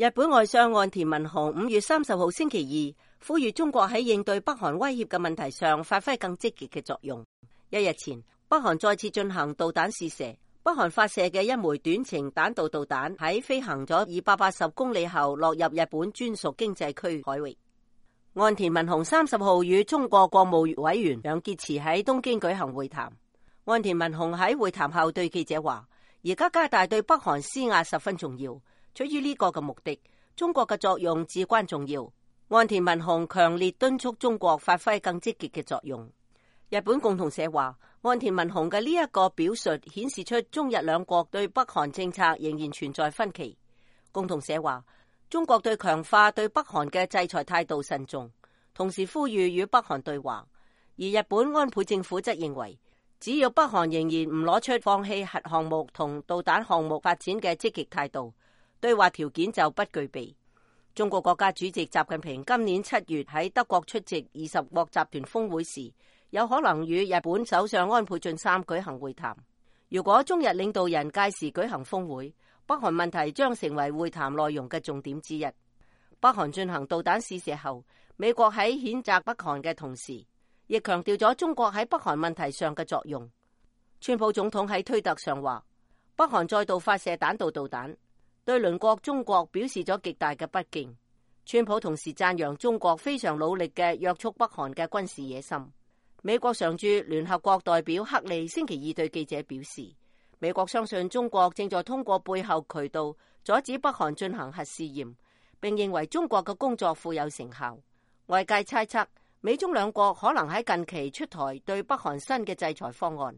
日本外相岸田文雄5月30號星期二呼籲中國喺應對北韓威脅嘅問題上發揮更積極嘅作用。一日前，北韓再次進行導彈試射，北韓發射嘅一枚短程彈道導彈喺飛行咗280公里後落入日本專屬經濟區海域。岸田文雄30號與中國國務委員楊潔篪喺東京舉行會談。岸田文雄喺會談後對記者話：而家加大對北韓施壓十分重要。出於呢個嘅目的，中國嘅作用至關重要。岸田文雄強烈敦促中國發揮更積極嘅作用。日本共同社話，岸田文雄嘅呢一個表述顯示出中日兩國對北韓政策仍然存在分歧。共同社話，中國對強化對北韓嘅制裁態度慎重，同時呼籲與北韓對話。而日本安倍政府則認為，只要北韓仍然唔攞出放棄核項目同導彈項目發展嘅積極態度，對話條件就不具備。中國國家主席習近平今年7月喺德國出席20國集團峰會時，有可能與日本首相安倍晉三舉行會談。如果中日領導人屆時舉行峰會，北韓問題將成為會談內容嘅重點之一。北韓進行導彈試射後，美國喺譴責北韓嘅同時，亦強調咗中國喺北韓問題上嘅作用。川普總統喺推特上話，北韓再度發射彈道導彈，對鄰國中國表示咗極大嘅不敬。川普同時讚揚中國非常努力嘅約束北韓嘅軍事野心。美國常駐聯合國代表克利星期二對記者表示，美國相信中國正在通過背後渠道阻止北韓進行核試驗，並認為中國嘅工作富有成效。外界猜測，美中兩國可能喺近期出台對北韓新嘅制裁方案。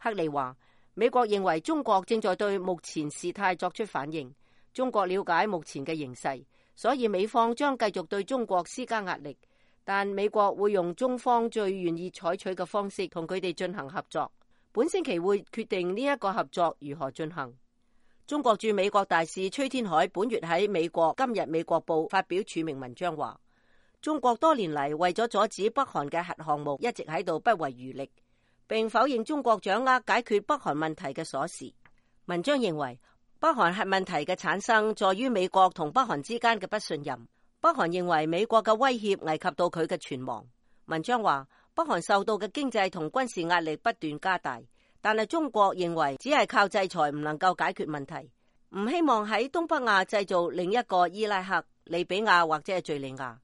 克利話，美國認為中國正在對目前事態作出反應。中國了解目前嘅形勢，所以美方將繼續對中國施加壓力，但美國會用中方最願意採取嘅方式同佢哋進行合作。本星期會決定呢一個合作如何進行。中國駐美國大使崔天凱本月喺美國今日美國報發表署名文章話，中國多年嚟為咗阻止北韓嘅核項目一直喺度不遺餘力，並否認中國掌握解決北韓問題嘅鎖匙。文章認為，北韓核問題嘅產生在於美國同北韓之間嘅不信任。北韓認為美國嘅威脅危及到佢嘅存亡。文章話，北韓受到嘅經濟同軍事壓力不斷加大，但係中國認為只係靠制裁唔能夠解決問題，唔希望喺東北亞製造另一個伊拉克、利比亞或者係敘利亞，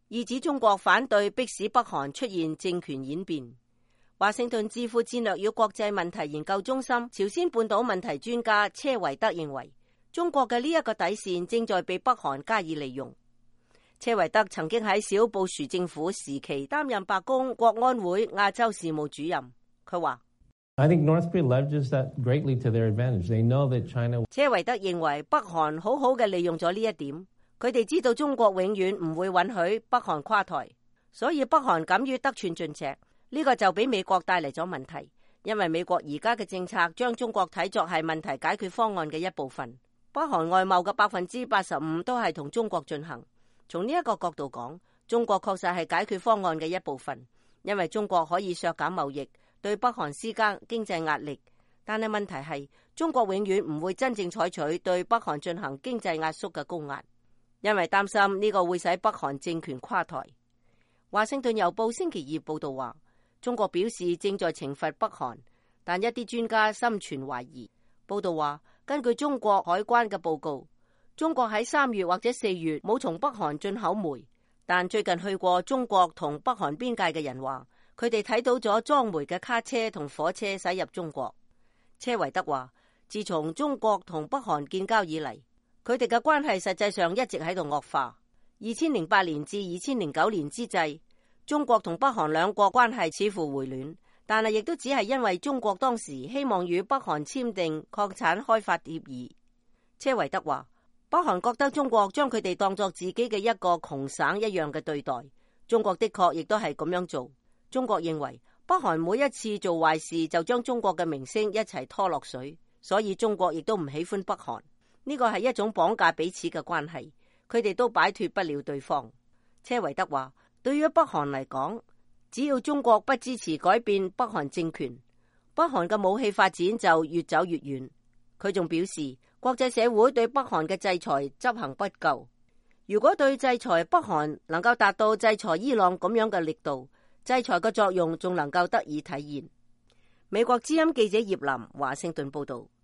意指中國反對迫使北韓出現政權演變。華盛頓智庫戰略與國際問題研究中心朝鮮半島問題專家車維德認為，中國嘅呢一個底線正在被北韓加以利用。車維德曾經喺小布殊政府時期擔任白宮國安會亞洲事務主任。佢話，車維德認為北韓好好嘅利用咗呢一點，佢哋知道中國永遠唔會允許北韓垮台，所以北韓敢於得寸進尺。呢個就俾美國帶嚟咗問題，因為美國而家嘅政策將中國睇作係問題解決方案嘅一部分。北韓外貿嘅85%都係同中國進行。從呢一個角度講，中國確實係解決方案嘅一部分，因為中國可以削減貿易，對北韓施加經濟壓力。但係問題係，中國永遠唔會真正採取對北韓進行經濟壓縮嘅高壓，因為擔心呢個會使北韓政權垮台。華盛頓郵報星期二報道話，中國表示正在懲罰北韓，但一啲專家心存懷疑。報道話，根據中國海關嘅報告，中國喺3月或者4月冇從北韓進口煤，但最近去過中國同北韓邊界嘅人話，佢哋睇到咗裝煤嘅卡車同火車駛入中國。車維德話，自從中國同北韓建交以嚟，佢哋嘅關係實際上一直喺度惡化。2008年至2009年之際，中國同北韓兩國關係似乎回暖，但係亦都只係因為中國當時希望與北韓簽訂礦產開發協議。車維德話，北韓覺得中國將佢哋當作自己嘅一個窮省一樣嘅對待，中國的確亦都係咁樣做。中國認為北韓每一次做壞事就將中國嘅名聲一齊拖落水，所以中國亦都唔喜歡北韓。呢個係一種綁架彼此嘅關係，佢哋都擺脫不了對方。車維德話，對於北韓嚟講，只要中國不支持改變北韓政權，北韓嘅武器發展就越走越遠。佢仲表示，國際社會對北韓嘅制裁執行不夠。如果對制裁北韓能夠達到制裁伊朗咁樣嘅力度，制裁嘅作用仲能夠得以體現。美國之音記者葉林華盛頓報道。